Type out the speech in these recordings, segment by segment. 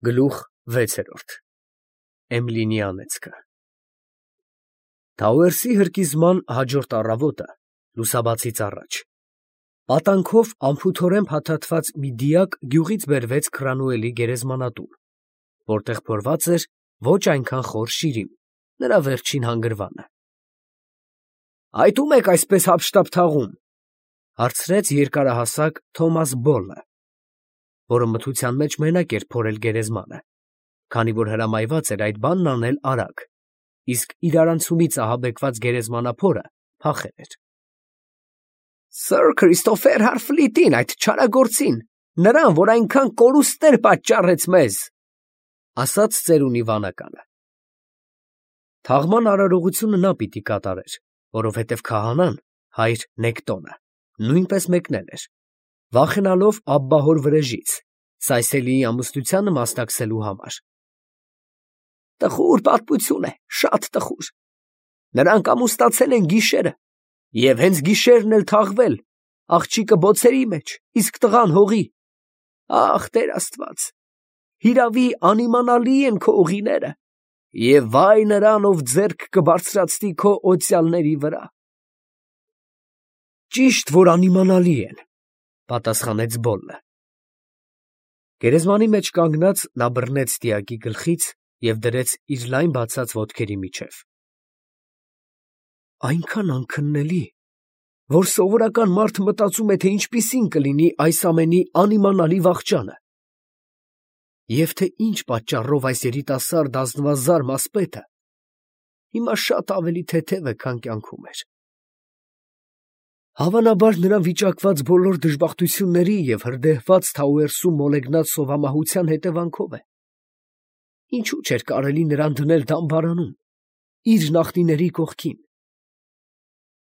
Գլուխ 6 Էմլինի անեծքը Թաուերսի հրկիզման հաջորդ առավոտը լուսաբացից առաջ պատանքով անփութորեն փաթաթված մի դիակ գյուղից բերվեց Քրանուելի գերեզմանատուն, որտեղ փորված էր ոչ այնքան խոր շիրիմ, նրա վերջին հանգրվանը։ «Այդ ո՞ւմ եք այսպես հափշտապ թաղում», հարցրեց երկարահասակ Թոմաս Բոլլը, որը մթության մեջ մենակ էր փորել գերեզմանը, քանի որ հրամայված էր այդ բանն անել արագ, իսկ իրարանցումից ահաբեկված գերեզմանափորը փախել էր։ «Սըր Քրիստոֆեր Հարֆլիտին, այդ չարագործին, նրան, որ այնքան կորուստներ պատճառեց մեզ», ասաց ծերունի վանականը։ Թաղման արարողությունը նա պիտի կատարեր, որովհետև քահանան, հայր Նեկտոնը, նույնպես մեկնել էր, վախենալով Աբբահոր վրեժից, Սայսելիի ամուսնությանը մասնակցելու համար։ Տխուր պատմություն է, շատ տխուր։ Նրանք ամուսնացել են գիշերը, և հենց գիշերն էլ թաղվել, աղջիկը բոցերի մեջ, իսկ տղան հողի։ Ախ, Տեր Աստված, հիրավի անիմանալի են քո ուղիները, և վայ նրան, ով ձեռք կբարձրացնի քո օծյալների վրա։ Ճիշտ, որ անիմանալի են, պատասխանեց Բոլլը։ Գերեզմանի մեջ կանգնած նա բռնեց դիակի գլխից և դրեց իր լայն բացած ոտքերի միջև։ Այնքան անքննելի, որ սովորական մարդը մտածում է, թե ինչպիսին կլինի այս ամենի անիմանալի վախճանը, և թե ինչ պատճառով այս երիտասարդ ազնվազարմ ասպետը հիմա շատ ավելի թեթև է, քան կյանքում էր։ Հավանաբար նրան վիճակված բոլոր դժբախտությունների և հրդեհված Թաուերսում մոլեգնած սովամահության հետևանքով է։ Ինչու չէր կարելի նրան դնել դամբարանում, իր նախնիների կողքին։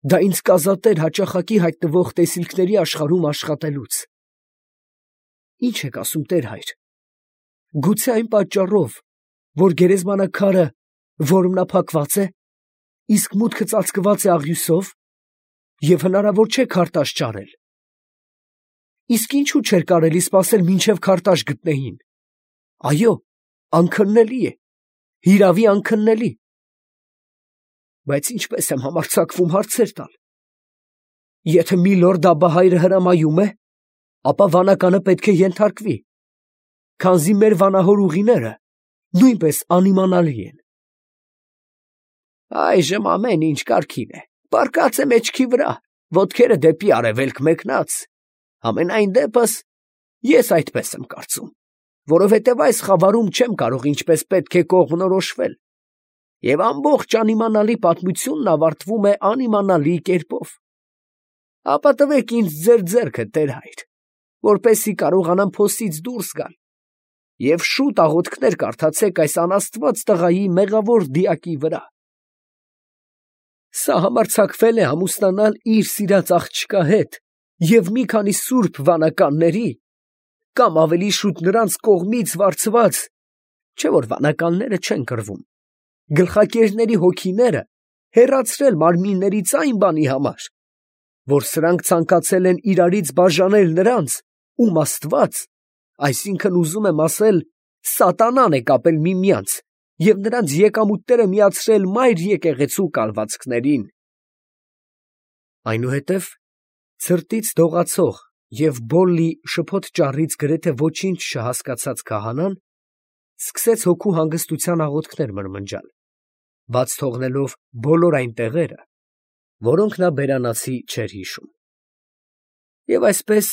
Դա ինձ կազատեր հաճախակի հայտնվող տեսիլքների աշխարհում աշխատելուց։ Ինչ եք ասում, Տեր հայր, գուցե այն պատճառով, որ գերեզմանակարը որմնափակված է, իսկ մուտքը ծածկված է աղյուսով, և հնարավոր չէ քարտաշ ճարել։ Իսկ ինչու չէր կարելի սպասել մինչև քարտաշ գտնեին։ Այո, անքննելի է, հիրավի անքննելի։ Բայց ինչպես եմ համարձակվում հարցեր տալ։ Եթե միլորդ Աբբահայրը հրամայում է, ապա վանականը պետք է ենթարկվի, քանզի մեր վանահոր ուղիները նույնպես անիմանալի են։ Այժմ ամեն ինչ կարգին է, պառկած է մեջքի վրա, ոտքերը դեպի արևելք մեկնած, համենայն դեպս ես այդպես եմ կարծում, որովհետև այս խավարում չեմ կարող ինչպես պետք է կողմնորոշվել, և ամբողջ անիմանալի պատմությունն ավարտվում է անիմանալի կերպով։ Ապա տվեք ինձ ձեր ձեռքը, Տեր հայր, որպեսզի կարողանամ փոսից դուրս գալ, և շուտ աղոթքներ կարդացեք այս անաստված տղայի մեղավոր դիակի վրա։ Սա համարձակվել է ամուսնանալ իր սիրած աղջկա հետ և մի քանի սուրբ վանականների, կամ ավելի շուտ նրանց կողմից վարձված, չէ՞ որ վանականները չեն կռվում, գլխակերների հոգիները հեռացրել մարմիններից այն բանի համար, որ սրանք ցանկացել են իրարից բաժանել նրանց, ում Աստված, այսինքն ուզում եմ ասել, սատանան է կապել միմյանց և նրանց եկամուտները միացրել մայր եկեղեցու կալվածքներին։ Այնուհետև ցրտից դողացող և Բոլլի շփոթ ճառից գրեթե ոչինչ չհասկացած քահանան սկսեց հոգու հանգստության աղոթքներ մրմնջալ, բաց թողնելով բոլոր այն տեղերը, որոնք նա բերանացի չէր հիշում։ Եվ այսպես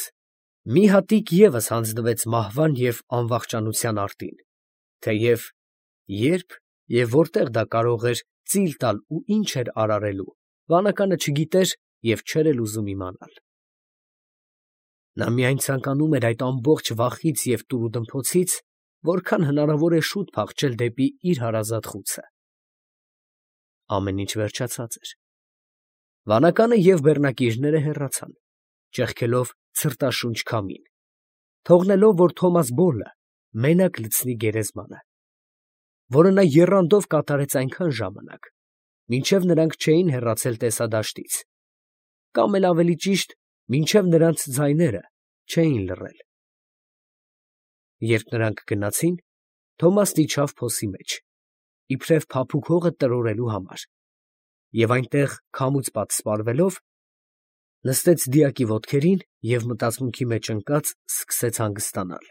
մի հատիկ ևս հանձնվեց մահվան և անվախճանության արտին, թեև երբ և որտեղ դա կարող էր ծիլ տալ ու ինչ էր արարելու, վանականը չգիտեր և չէր էլ ուզում իմանալ։ Նա միայն ցանկանում էր այդ ամբողջ վախից և տուրուդմփոցից որքան հնարավոր է շուտ փախչել դեպի իր հարազատ խուցը։ Ամեն ինչ վերջացած էր։ Վանականը և բեռնակիրները հեռացան, ճեղքելով ցրտաշունչ քամին, թողնելով, որ Թոմաս Բոլլը մենակ լցնի գերեզմանը, որը նա եռանդով կատարեց այնքան ժամանակ, մինչև նրանք չէին հեռացել տեսադաշտից, կամ էլ ավելի ճիշտ, մինչև նրանց ձայները չէին լռել։ Երբ նրանք գնացին, Թոմասն իջավ փոսի մեջ, իբրև փափուկ հողը տրորելու համար, և այնտեղ քամուց պատսպարվելով, նստեց դիակի ոտքերին և մտածմունքի մեջ ընկած սկսեց հանգստանալ։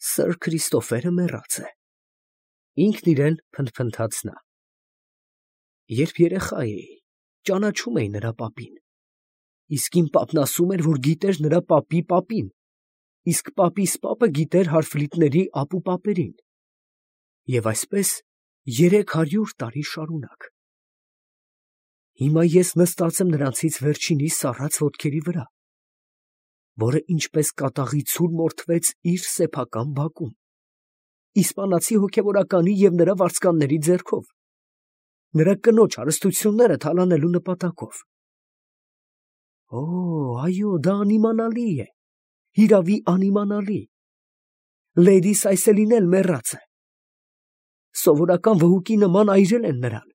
Սըր Քրիստոֆերը մեռած է, ինքն իրեն փնթփնթաց նա։ Երբ երեխա էի, ճանաչում էի նրա պապին, իսկ իմ պապն ասում էր, որ գիտեր նրա պապի պապին, իսկ պապիս պապը գիտեր հարֆլիտների ապուպապերին, և այսպես 300 տարի շարունակ։ Հիմա ես նստած եմ նրանցից վերջինի սառած ոտքերի վրա, որը ինչպես կատաղի ցուլ մորթվեց իր սեփական բակում, իսպանացի հոգևորականի և նրա վարձկանների ձեռքով, նրա կնոջ հարստությունները թալանելու նպատակով։ Օ, այո, դա անիմանալի է, հիրավի անիմանալի։ Լեյդի Սայսելին էլ մեռած է։ Սովորական վհուկի նման այրել են նրան։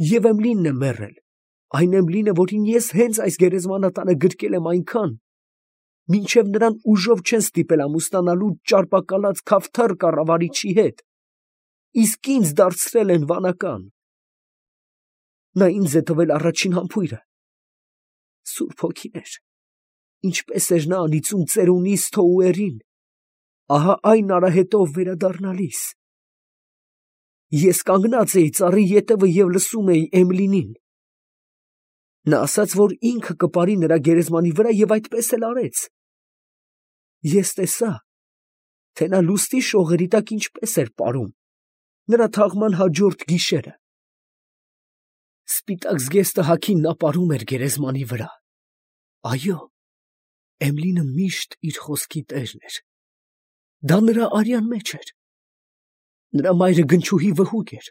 Եվ Էմլինն է մեռել, այն Էմլինը, որին ես հենց այս գերեզմանատանը գրկել եմ այնքան, մինչև նրան ուժով չեն ստիպել ամուսնանալու ճարպակալած քավթար կառավարիչի հետ, իսկ ինձ դարձրել են վանական։ Նա ինձ է տվել առաջին համբույրը։ Սուրբ Հոգիներ, ինչպես էր նա անիծում ծերունիս Թոուերին, ահա այն արահետով վերադառնալիս։ Ես կանգնած էի ծառի ետևը և լսում էի Էմլինին։ Նա ասաց, որ ինքը կպարի նրա գերեզմանի վրա և այդպես էլ արեց։ Ես տեսա, թե նա լուսնի շողերի տակ ինչպես էր պարում նրա թաղման հաջորդ գիշերը։ Սպիտակ զգեստը հագին նա պարում էր գերեզմանի վրա։ Այո, Էմլինը միշտ իր խոսքի տերն էր։ Դա նրա արյան մեջ էր։ Նրա մայրը գնչուհի վհուկ էր,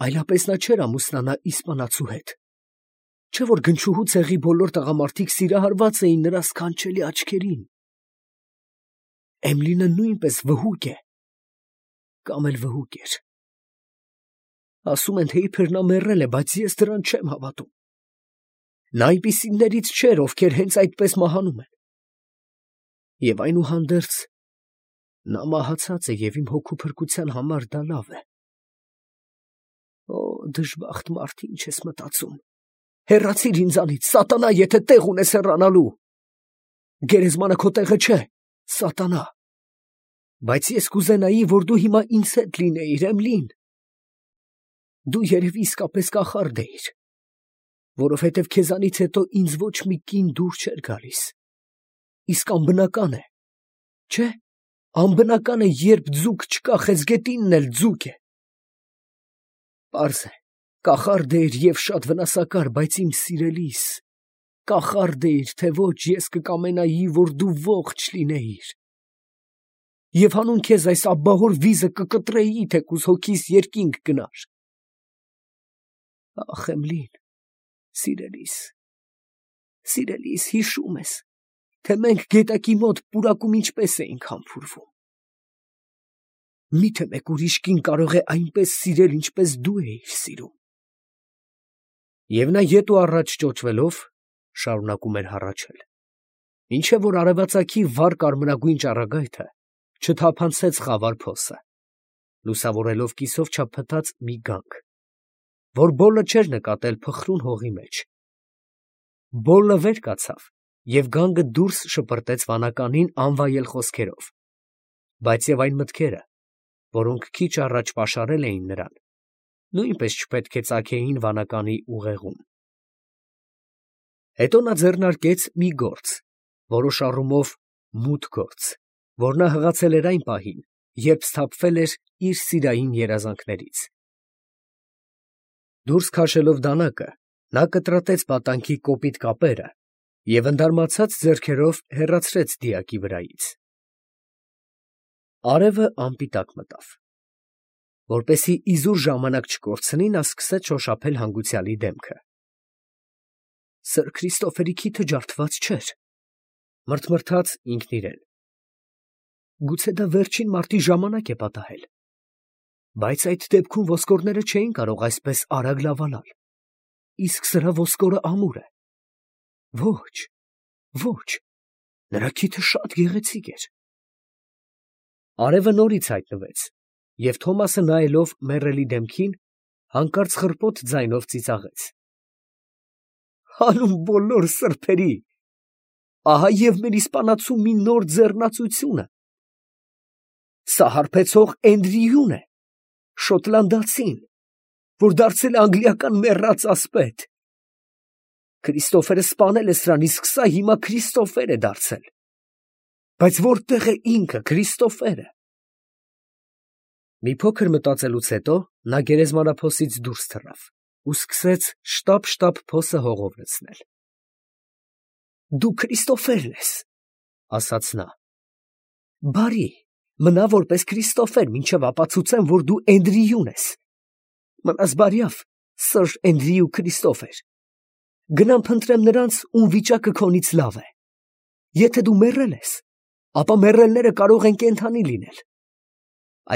այլապես նա չէր ամուսնանա իսպանացու հետ, չէ՞ որ գնչուհու ցեղի բոլոր տղամարդիկ սիրահարված էին նրա սքանչելի աչքերին։ Էմլինը նույնպես վհուկ է, կամ էլ վհուկ էր։ Ասում են, թե իբր նա մեռել է, բայց ես դրան չեմ հավատում։ Նա այնպիսիներից չէր, ովքեր հենց այդպես մահանում են։ Եվ այնուհանդերձ նա մահացած է, և իմ հոգու փրկության համար դա լավ է։ Օ, դժբախտ մարդ, ինչ ես մտածում։ Հեռացիր ինձանից, սատանա, եթե տեղ ունես հեռանալու։ Գերեզմանը քո տեղը չէ, սատանա։ Բայց ես կուզենայի, որ դու հիմա ինձ հետ լինեիր, Էմլին։ Դու երևի իսկապես կախարդ էիր, որովհետև քեզանից հետո ինձ ոչ մի կին դուր չէր գալիս։ Իսկ անբնական է, չէ՞, անբնական է, երբ ձուկ չկա, խեցգետինն էլ ձուկ է։ Պարզ է, կախարդ էիր և շատ վնասակար, բայց իմ սիրելիս, կախարդ էիր, թե ոչ, ես կկամենայի, որ դու ողջ լինեիր։ Եվ հանուն քեզ այս աբբահոր վիզը կկտրեի, թեկուզ հոգիս երկինք գնար։ Ախ, Էմլին, սիրելիս, հիշում ես, թե մենք գետակի մոտ պուրակում ինչպես էինք համբուրվում։ Մի՞թե մեկ ուրիշ կին կարող է այնպես սիրել, ինչպես դու էիր սիրում։ Եվ նա ետ ու առաջ ճոճվելով շարունակում էր հառաչել, մինչև որ արևածագի վառ կարմրագույն ճառագայթը չթափանցեց խավար փոսը, լուսավորելով կիսով չափփտած մի գանք, որ Բոլլը չէր նկատել փխրուն հողի մեջ։ Բոլլը վեր կացավ, և գանգը դուրս շպրտեց վանականին անվայել խոսքերով, բայց և այն մտքերը, որոնք քիչ առաջ պաշարել էին նրան, նույնպես չպետք է ծագեին վանականի ուղեղում։ Հետո նա ձեռնարկեց մի գործ, որոշ առումով մութ գործ, որ նա հղացել էր այն պահին, երբ սթափվել էր իր սիրային երազանքներից։ Դուրս քաշելով դանակը, նա կտրատեց պատանքի կոպիտ կապերը և ընդարմացած ձեռքերով հեռացրեց դիակի վրայից։ Արևը անպիտակ մտավ։ Որպեսզի իզուր ժամանակ չկորցնի, նա սկսեց շոշափել հանգուցյալի դեմքը։ Սըր Քրիստոֆերի քիթը ջարդված չէր, մռթմռթաց ինքն իրեն։ Գուցե դա վերջին մարտի ժամանակ է պատահել, բայց այդ դեպքում ոսկորները չէին կարող այսպես արագ լավանալ, իսկ սրա ոսկորը ամուր է։ Ոչ, ոչ, նրա քիթը շատ գեղեցիկ էր։ Արևը նորից հայտնվեց, և Թոմասը նայելով մեռելի դեմքին, հանկարծ խռպոտ ձայնով ծիծաղեց. «Հանուն բոլոր սրբերի, ահա և մեր իսպանացու մի նոր ձեռնացությունը. սա հարբեցող Էնդրիուն է, շոտլանդացին, որ դարձել է անգլիական մեռած ասպետ. Քրիստոֆերը սպանել է սրան, իսկ սա հիմա Քրիստոֆեր է դարձել. բայց որտե՞ղ է ինքը Քրիստոֆերը»։ Մի փոքր մտածելուց հետո նա գերեզմանափոսից դուրս թռավ ու սկսեց շտապ փոսը հողով լցնել։ «Դու Քրիստոֆերն ես, ֊ ասաց նա, ֊ բարի, մնա որպես Քրիստոֆեր, մինչև ապացուցեմ, որ դու Էնդրիուն ես։ Մնաս բարյավ, սըր Էնդրիու Քրիստոֆեր, գնամ փնտրեմ նրանց, ում վիճակը քոնից լավ է։ Եթե դու մեռել ես, ապա մեռելները կարող են կենդանի լինել։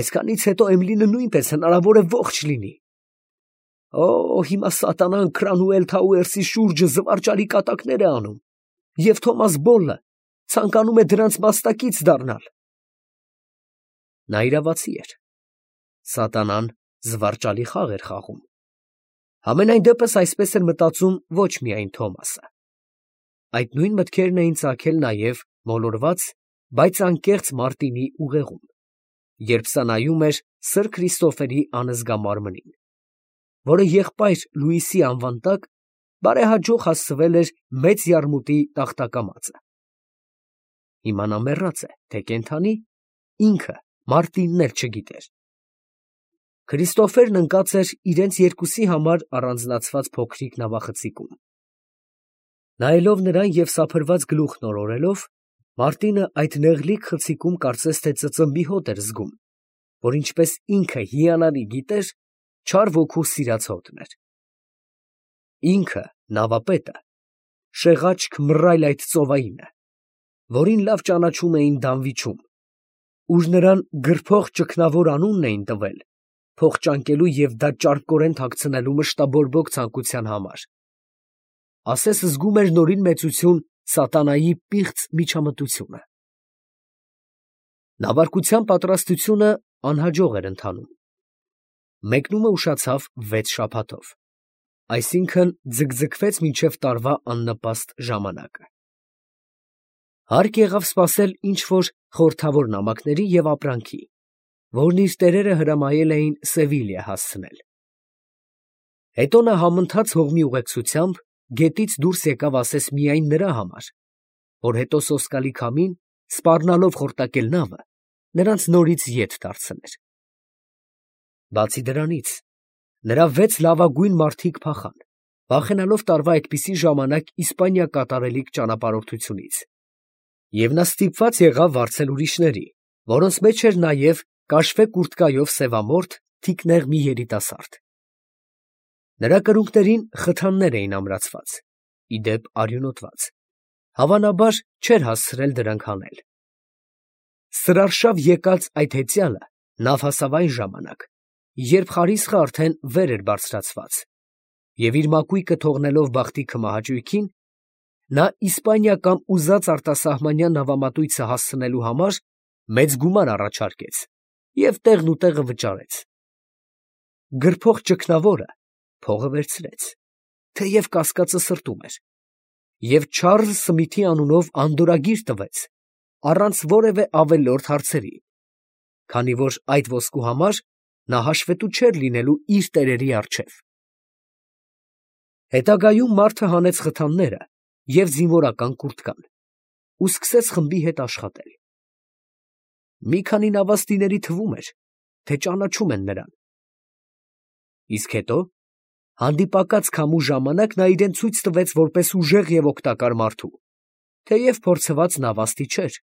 Այսքանից հետո Էմլինը նույնպես հնարավոր է ողջ լինի։ Օ, հիմա սատանան Քրանուել Թաուերսի շուրջը զվարճալի կատակներ է անում, և Թոմաս Բոլլը ցանկանում է դրանց մասնակից դառնալ»։ Նա իրավացի էր. սատանան զվարճալի խաղ էր խաղում։ Համենայն դեպս այսպես էր մտածում ոչ միայն Թոմասը։ Այդ նույն մտքերն էին ծագել նաև մոլորված, բայց անկեղծ Մարտինի ուղեղում, երբ սա նայում էր սըր Քրիստոֆերի անզգա մարմնին, որը եղբայր Լուիսի անվան տակ բարեհաջող հասցվել էր մեծ յարմուտի տախտակամածը։ Հիմա նա մեռած է, թե կենդանի, ինքը Մարտինն էլ չգիտեր։ Քրիստոֆերն ընկած էր իրենց երկուսի համար առանձնացված փոքրիկ նավախցիկում։ Նայելով նրան և սափրված գլուխն օրորելով, Մարտինը այդ նեղլիկ խցիկում կարծես թե ծծմբի հոտ էր զգում, որ ինչպես ինքը հիանալի գիտեր, չար ոգու սիրած հոտն էր։ Ինքը, նավապետը, շեղաճք մռայլ այդ ծովայինը, որին լավ ճանաչում էին Դանվիչում, ուր նրան գրփող ճգնավոր անունն էին տվել փող ճանկելու և դա ճարպկորեն թաքցնելու մշտաբորբոք ցանկության համար, ասես զգում էր նորին մեծություն սատանայի պիղծ միջամտությունը։ Նավարկության պատրաստությունը անհաջող էր ընթանում։ Մեկնումը ուշացավ 6 շաբաթով, այսինքն ձգձգվեց մինչև տարվա աննպաստ ժամանակը։ Հարկ եղավ սպասել ինչ-որ խորհրդավոր նամակների և ապրանքի, որն իր տերերը հրամայել էին Սևիլիա հասցնել։ Հետո նա համընթաց հողմի ուղեկցությամբ գետից դուրս եկավ ասես միայն նրա համար, որ հետո սոսկալի քամին, սպառնալով խորտակել նավը, նրանց նորից ետ դարձներ։ Բացի դրանից, նրա 6 լավագույն մարդիկ փախան, վախենալով տարվա այդպիսի ժամանակ Իսպանիա կատարելիք ճանապարհորդությունից, և նա ստիպված եղավ վարձել ուրիշների, որոնց մեջ էր նաև կաշվե կուրտկայով սևամորթ, թիկնեղ մի երիտասարդ։ Նրա կրունկներին խթաններ էին ամրացված, ի դեպ արյունոտված, հավանաբար չէր հասցրել դրանք հանել։ Սրարշավ եկած այդ հեծյալը նավ հասավ այն ժամանակ, երբ խարիսխը արդեն վեր էր բարձրացված, և իր մակույկը թողնելով բախտի քմահաճույքին, նա Իսպանիա կամ ուզած արտասահմանյան նավամատույցը հասցնելու համար մեծ գումար առաջարկեց և տեղնուտեղը վճարեց։ Գրփող ճգնավորը փողը վերցրեց, թեև կասկածը սրտում էր, և Չարլզ Սմիթի անունով անդորրագիր տվեց, առանց որևէ ավելորդ հարցերի, քանի որ այդ ոսկու համար նա հաշվետու չէր լինելու իր տերերի առջև։ Հետագայում մարդը հանեց խթանները և զինվորական կուրտկան ու սկսեց խմբի հետ աշխատել։ Մի քանի նավաստիների թվում էր, թե ճանաչում են նրան։ Իսկ հետո, հանդիպակաց քամու ժամանակ նա իրեն ցույց տվեց որպես ուժեղ և օգտակար մարդու, թեև փորձված նավաստի չէր,